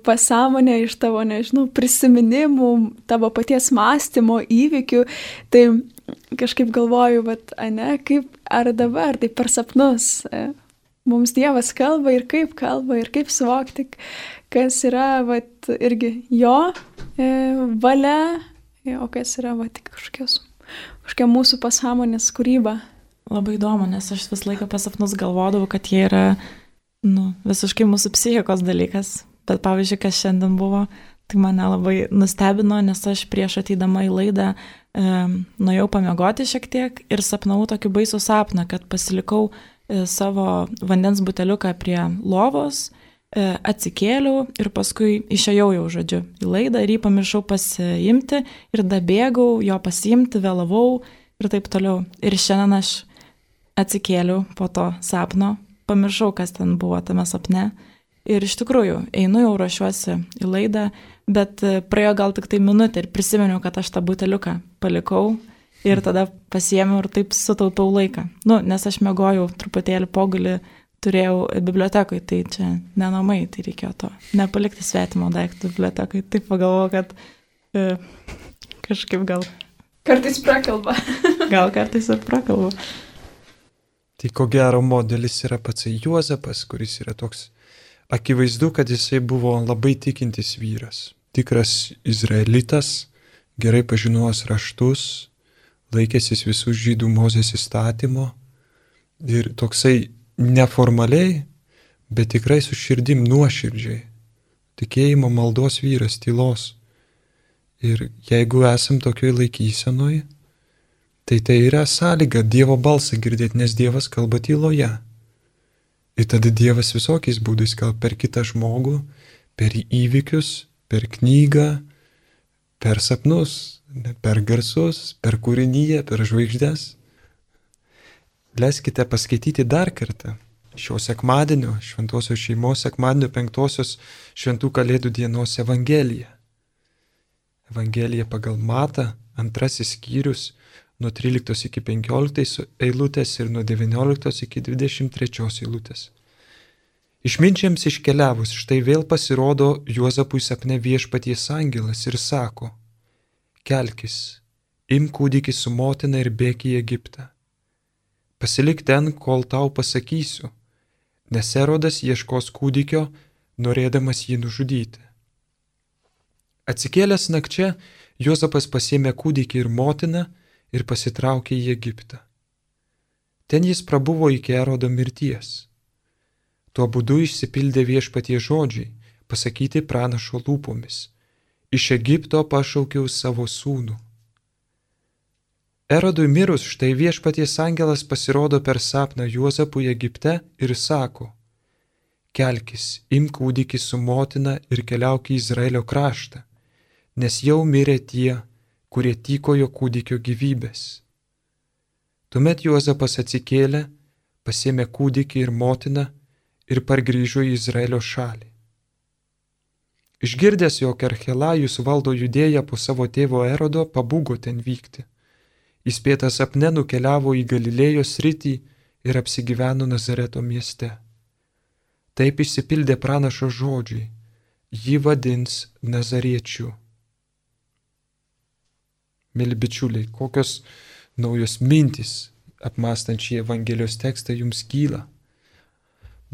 pasąmonė iš tavo, nežinau, prisiminimų, tavo paties mąstymo, įvykių. Tai kažkaip galvoju, kaip ar dabar, tai per sapnus mums Dievas kalba ir kaip suvokti, kas yra irgi jo valia, o kas yra tik kažkokia mūsų pasąmonės kūryba. Labai įdomu, nes aš vis laiką pas sapnus galvodavau, kad jie yra visiškai mūsų psichikos dalykas. Bet pavyzdžiui, kas šiandien buvo, tai mane labai nustebino, nes aš prieš ateidama į laidą nuėjau pamiegoti šiek tiek ir sapnavau tokį baisų sapną, kad pasilikau savo vandens buteliuką prie lovos, atsikėliau ir paskui išėjau jau, žodžiu, į laidą ir jį pamiršau pasiimti ir dabėgau jo pasiimti, vėlavau ir taip toliau. Ir šiandien aš atsikėliau po to sapno, pamiršau, kas ten buvo tame sapne. Ir iš tikrųjų, einu jau ruošiuosi į laidą, bet praėjo gal tik tai minutė ir prisiminiau, kad aš tą buteliuką palikau ir tada pasiėmiau ir taip sutaupiau laiką. Nes aš miegojau truputėlį pogulį, turėjau bibliotekoj, tai čia ne namai, tai reikėjo to nepalikti svetimo daiktų bibliotekoj. Taip pagalvojau, kad kažkaip gal... Kartais prakalba. Gal kartais ir prakalba. Tai ko gero modelis yra pats Juozapas, kuris yra toks akivaizdu, kad jisai buvo labai tikintis vyras. Tikras izraelitas, gerai pažinojęs raštus, laikęsis visų žydų Mozės įstatymo ir toksai neformaliai, bet tikrai su širdim nuoširdžiai. Tikėjimo maldos vyras, tylos. Ir jeigu esam tokioj laikysenoj, tai yra sąlyga Dievo balsą girdėti, nes Dievas kalba tyloje. Ir tada Dievas visokiais būdais kalba per kitą žmogų, per įvykius, per knygą, Per sapnus, per garsus, per kūrinyje, per žvaigždės. Leiskite paskaityti dar kartą šio sekmadienio, šventosios šeimos sekmadienio 5 šventų kalėdų dienos Evangeliją. Evangelija pagal Matą, 2 skyrius, nuo 13 iki 15 eilutės ir nuo 19 iki 23 eilutės. Išminčiams iškeliavus, štai vėl pasirodo Juozapui sapne viešpaties angelas ir sako: kelkis, imk kūdikį su motina ir bėk į Egiptą. Pasilik ten, kol tau pasakysiu, nes Erodas ieškos kūdikio, norėdamas jį nužudyti. Atsikėlęs nakčia, Juozapas pasėmė kūdikį ir motiną ir pasitraukė į Egiptą. Ten jis prabuvo iki Erodo mirties. Tuo būdu išsipildė viešpaties žodžiai, pasakyti pranašo lūpomis: iš Egipto pašaukiau savo sūnų. Erodui mirus, štai viešpaties angelas pasirodo per sapną Juozapui Egipte ir sako: kelkis, imk kūdikį su motina ir keliauk į Izraelio kraštą, nes jau mirė tie, kurie tykojo kūdikio gyvybės. Tuomet Juozapas atsikėlė, pasėmė kūdikį ir motiną ir pargrįžo į Izraelio šalį. Išgirdęs, jog Archelajus valdo Judėją po savo tėvo Erodo, pabūgo ten vykti. Įspėtas sapne nukeliavo į Galilėjos sritį ir apsigyveno Nazareto mieste. Taip išsipildė pranašo žodžiai: jį vadins Nazariečiu. Mėly bičiuliai, kokios naujos mintys apmąstant šį Evangelijos tekstą jums kyla?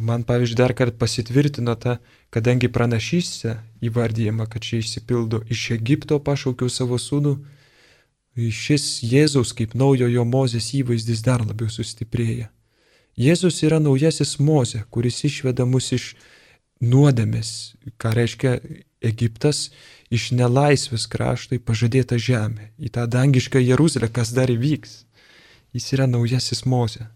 Man, pavyzdžiui, dar kartą pasitvirtino ta, kadangi pranašystė įvardyjama, kad čia išsipildo: iš Egipto pašaukiau savo sūnų, šis Jėzaus kaip naujojo Mozės įvaizdis dar labiau sustiprėja. Jėzus yra naujasis Mozė, kuris išveda mus iš nuodėmės, ką reiškia Egiptas, iš nelaisvės krašto į pažadėtą žemę, į tą dangišką Jeruzalę, kas dar įvyks. Jis yra naujasis Mozė.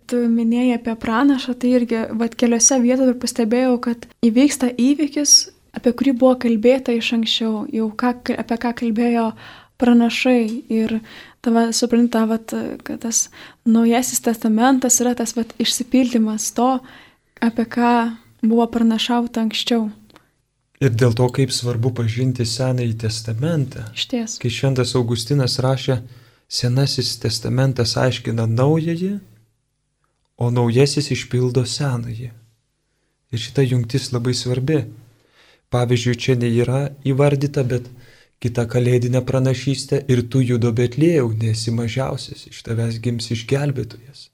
Tu minėjai apie pranašą, tai irgi keliose vietose pastebėjau, kad įvyksta įvykis, apie kurį buvo kalbėta iš anksčiau, jau apie ką kalbėjo pranašai. Ir supranta, kad tas naujasis testamentas yra tas išsipildymas to, apie ką buvo pranašauta anksčiau. Ir dėl to, kaip svarbu pažinti Senąjį testamentą. Išties. Kai šventas Augustinas rašė, Senasis testamentas aiškina naująjį, o naujasis išpildo senąjį. Ir šita jungtis labai svarbi. Pavyzdžiui, čia nėra įvardyta, bet kita kalėdinė pranašystė: ir tu, Judo Betlėjau, nesi mažiausias, iš tavęs gims išgelbėtojas.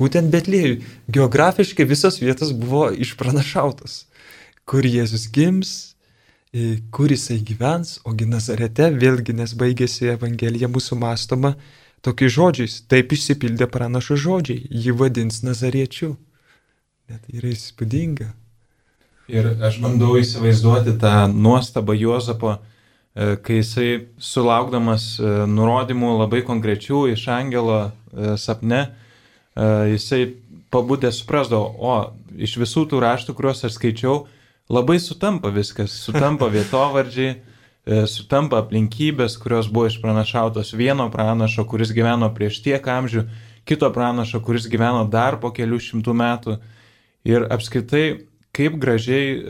Būtent Betlėjui geografiškai visos vietos buvo išpranašautos. Kur Jėzus gims, kur jisai gyvens, ogi Nazarete, vėlgi, nes baigėsi Evangelija mūsų mąstoma tokiais žodžiais: taip išsipildė pranašo žodžiai, jį vadins Nazariečiu. Net yra įspūdinga. Ir aš bandau įsivaizduoti tą nuostabą Juozapo, kai jisai sulaukdamas nurodymų labai konkrečių iš angelo sapne, jisai pabudęs suprasdavo: o iš visų tų raštų, kuriuos aš skaičiau, labai sutampa viskas, sutampa vietovardžiai, sutampa aplinkybės, kurios buvo išpranašautos vieno pranašo, kuris gyveno prieš tiek amžių, kito pranašo, kuris gyveno dar po kelių šimtų metų. Ir apskritai, kaip gražiai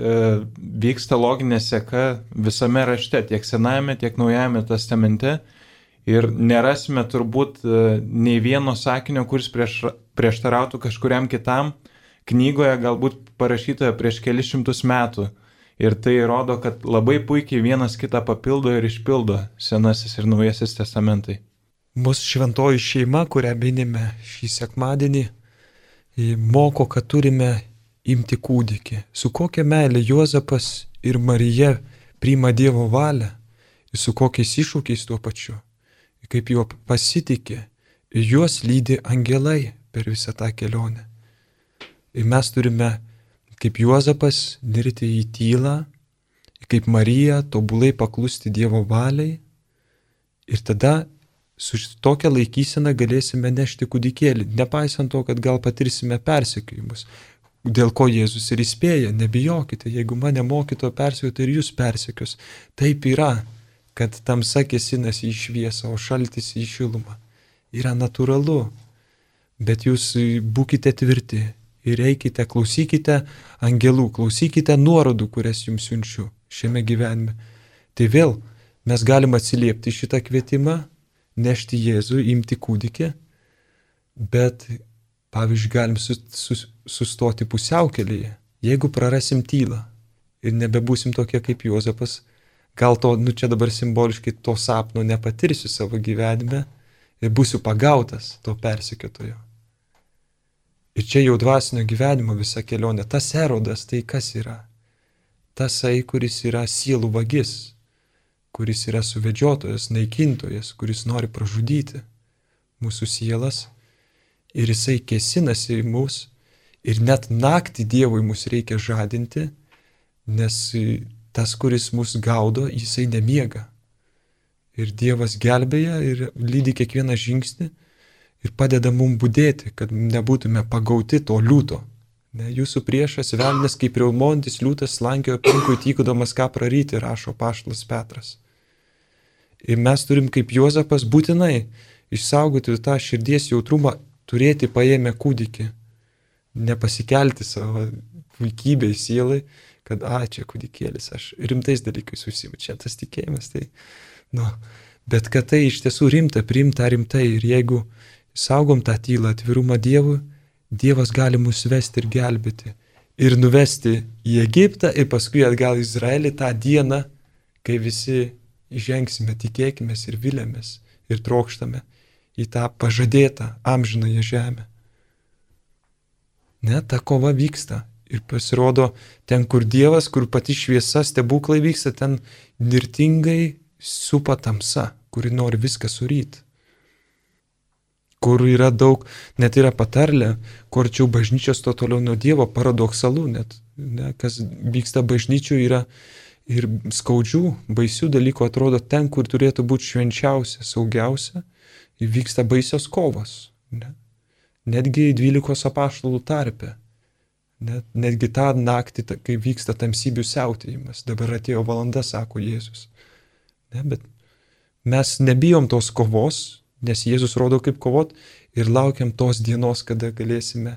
vyksta loginė seka visame rašte, tiek Senajame, tiek Naujajame testamente. Ir nerasime turbūt nei vieno sakinio, kuris prieštarautų kažkuriam kitam knygoje, galbūt parašytoje prieš kelis šimtus metų. Ir tai rodo, kad labai puikiai vienas kitą papildo ir išpildo Senasis ir Naujasis testamentai. Mūsų šventoji šeima, kurią minime šį sekmadienį, moko, kad turime imti kūdikį. Su kokia meilė Juozapas ir Marija priima Dievo valią ir su kokiais iššūkiais tuo pačiu. Kaip juo pasitikė, juos lydi angelai per visą tą kelionę. Ir mes turime, kaip Juozapas, nirti į tylą, kaip Marija tobulai paklusti Dievo valiai, ir tada su tokia laikysena galėsime nešti kūdikėlį, nepaisant to, kad gal patirsime persekiojimus, dėl ko Jėzus ir įspėja: nebijokite, jeigu mane mokytojo persekiotų, ir jūs persekios. Taip yra, kad tamsa kėsinasi į šviesą, o šaltis į šilumą. Yra natūralu, bet jūs būkite tvirti ir eikite, klausykite angelų, klausykite nuorodų, kurias jums siunčiu šiame gyvenime. Tai vėl mes galim atsiliepti šitą kvietimą, nešti Jėzų, imti kūdikį, bet, pavyzdžiui, galim sustoti pusiaukelėje. Jeigu prarasim tylą ir nebebūsim tokie kaip Juozapas, gal to, čia dabar simboliškai to sapno nepatirsiu savo gyvenime ir būsiu pagautas to persekiotojo. Ir čia jau dvasinio gyvenimo visa kelionė. Tas Erodas, tai kas yra? Tasai, kuris yra sielų vagis, kuris yra suvedžiotojas, naikintojas, kuris nori pražudyti mūsų sielas. Ir jisai kėsinasi į mus. Ir net naktį Dievui mus reikia žadinti, nes tas, kuris mus gaudo, jisai nemiega. Ir Dievas gelbėja ir lydi kiekvieną žingsnį ir padeda mums budėti, kad nebūtume pagauti to liūto. Ne, jūsų priešas velnias kaip riaumontis liūtas slankiojo aplinkui tykodamas ką praryti, rašo apaštalas Petras. Ir mes turim kaip Juozapas būtinai išsaugoti tą širdies jautrumą, turėti paėmę kūdikį, nepasikelti savo vaikybei sielai, kad čia kūdikėlis, aš rimtais dalykais užsiimu, čia tas tikėjimas, tai, bet kad tai iš tiesų rimta, priimta rimtai ir jeigu saugom tą tylą, atvirumą Dievui, Dievas gali mus vesti ir gelbėti. Ir nuvesti į Egiptą ir paskui atgal į Izraelį tą dieną, kai visi įžengsime, tikėkimės ir vilėmės ir trokštame į tą pažadėtą amžinąją žemę. Ne, ta kova vyksta. Ir pasirodo, ten, kur Dievas, kur pati šviesa, stebuklai vyksta, ten nirtingai supa tamsa, kuri nori viską suryti. Kur yra daug, net yra patarlė, kur arčiau bažnyčios to toliau nuo Dievo, paradoksalu net. Ne, kas vyksta bažnyčių yra ir skaudžių, baisių dalykų, atrodo ten, kur turėtų būti švenčiausia, saugiausia, vyksta baisios kovos. Ne. Netgi 12 apaštalų tarpe. Netgi tą naktį, kai vyksta tamsybių siautėjimas. Dabar atėjo valanda, sako Jėzus. Ne, bet mes nebijom tos kovos, nes Jėzus rodo kaip kovot ir laukiam tos dienos, kada galėsime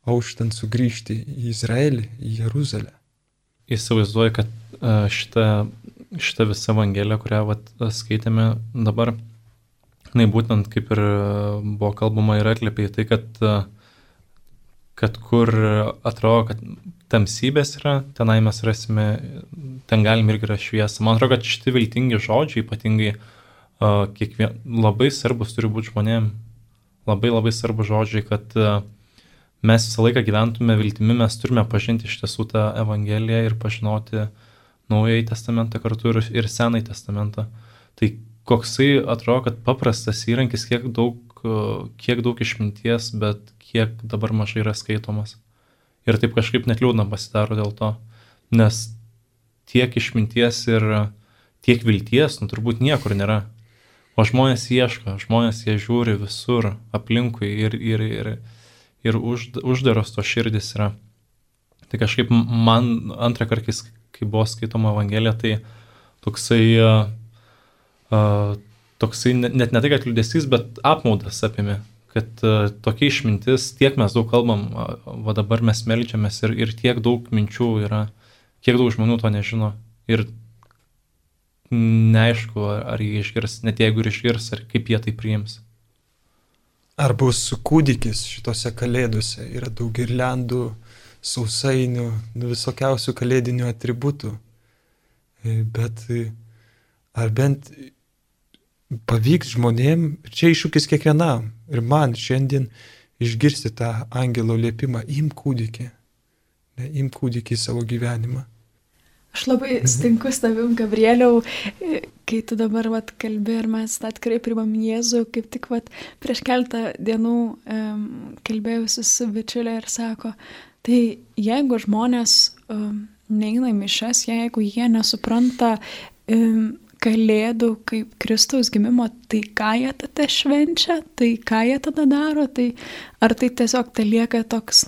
auštant sugrįžti į Izraelį, į Jeruzalę. Įsivaizduoju, kad šita visa evangelija, kurią skaitėme dabar, būtent kaip ir buvo kalbama ir atliepė į tai, kad kur atrodo, kad tamsybės yra, tenai mes rasime, ten galim irgi yra šviesa. Man atrodo, kad šitie viltingi žodžiai ypatingai labai svarbus turi būti žmonėm, labai svarbus žodžiai, kad mes visą laiką gyventume viltimi, mes turime pažinti iš tiesų tą evangeliją ir pažinoti Naująjį testamentą kartu ir Senąjį testamentą. Tai koksai atrodo, kad paprastas įrankis, kiek daug išminties, bet kiek dabar mažai yra skaitomas. Ir taip kažkaip net liūdna pasidaro dėl to, nes tiek išminties ir tiek vilties, turbūt niekur nėra. O žmonės ieško, žmonės jie žiūri visur aplinkui ir uždaros to širdis yra. Tai kažkaip man antrą kartą, kai buvo skaitoma evangelija, tai toksai net ne tai, kad liūdesys, bet apmaudas apėmė, kad tokia išmintis, tiek mes daug kalbam, dabar mes meldžiamės ir tiek daug minčių yra, kiek daug žmonių to nežino. Ir neaišku, ar jie išgirs, net jeigu ir išgirs, ar kaip jie tai priims. Ar bus kūdikis šitose kalėdose, yra daug girliandų, sausainių, visokiausių kalėdinių atributų, bet ar bent pavyks žmonėm, ir čia iššūkis kiekvienam, ir man šiandien išgirsti tą angelo liepimą, imk kūdikį į savo gyvenimą. Aš labai sutinku su tavim, Gabrieliau, kai tu dabar kalbi ir mes tikrai priimam Jėzų, kaip tik prieš keletą dienų kalbėjusi su bičiulė ir sako, tai jeigu žmonės neina į mišias, jeigu jie nesupranta kalėdų kaip Kristaus gimimo, tai ką jie tada švenčia, tai ką jie tada daro, tai ar tai tiesiog tai lieka toks,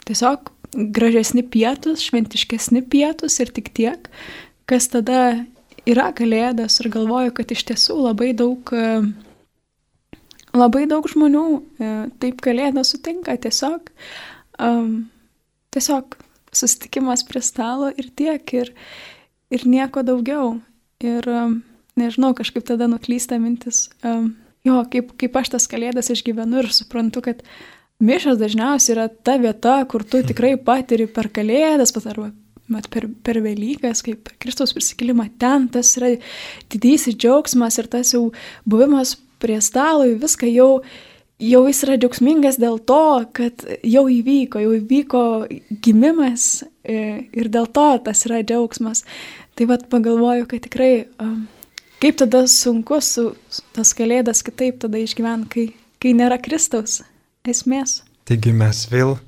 tiesiog gražesni pietus, šventiškesni pietus ir tik tiek, kas tada yra Kalėdos ir galvoju, kad iš tiesų labai daug žmonių taip Kalėdas sutinka tiesiog susitikimas prie stalo ir tiek, ir nieko daugiau. Ir nežinau, kažkaip tada nuklysta mintis, kaip aš tas Kalėdas išgyvenu ir suprantu, kad mišios dažniausiai yra ta vieta, kur tu tikrai patiri per Kalėdas, arba per Velykas, kaip per Kristaus prisikėlimą, ten tas yra didysis džiaugsmas ir tas jau buvimas prie stalo, viską jau jis yra džiaugsmingas dėl to, kad jau įvyko gimimas ir dėl to tas yra džiaugsmas. Tai vat pagalvoju, kad tikrai kaip tada sunku tas Kalėdas kitaip tada išgyventi, kai nėra Kristaus esmės. Taigi mes vėl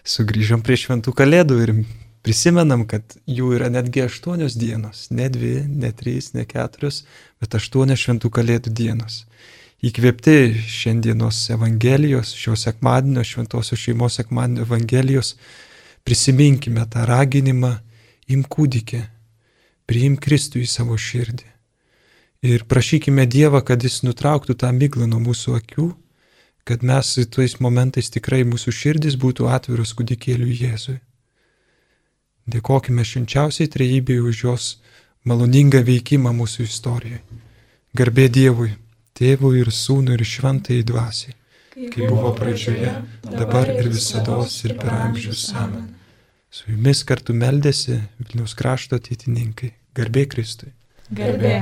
sugrįžom prie šventų Kalėdų ir prisimenam, kad jų yra netgi 8 dienos, ne 2, ne 3, ne 4, bet 8 šventų Kalėdų dienos. Įkvėpti šiandienos Evangelijos, šio sekmadienio, šventosios šeimos sekmadienio Evangelijos, prisiminkime tą raginimą, imk kūdikį, priimk Kristų į savo širdį. Ir prašykime Dievą, kad Jis nutrauktų tą miglą nuo mūsų akių, kad mes tais momentais tikrai mūsų širdis būtų atviros kūdikėliui Jėzui. Dėkokime švenčiausiai Trejybei už jos maloningą veikimą mūsų istorijoje. Garbė Dievui, Tėvui ir Sūnui ir Šventajai Dvasiai, kaip buvo pradžioje, dabar ir visados ir per amžius. Amen. Su jumis kartu meldėsi Vilniaus krašto ateitininkai. Garbė Kristui. Garbė.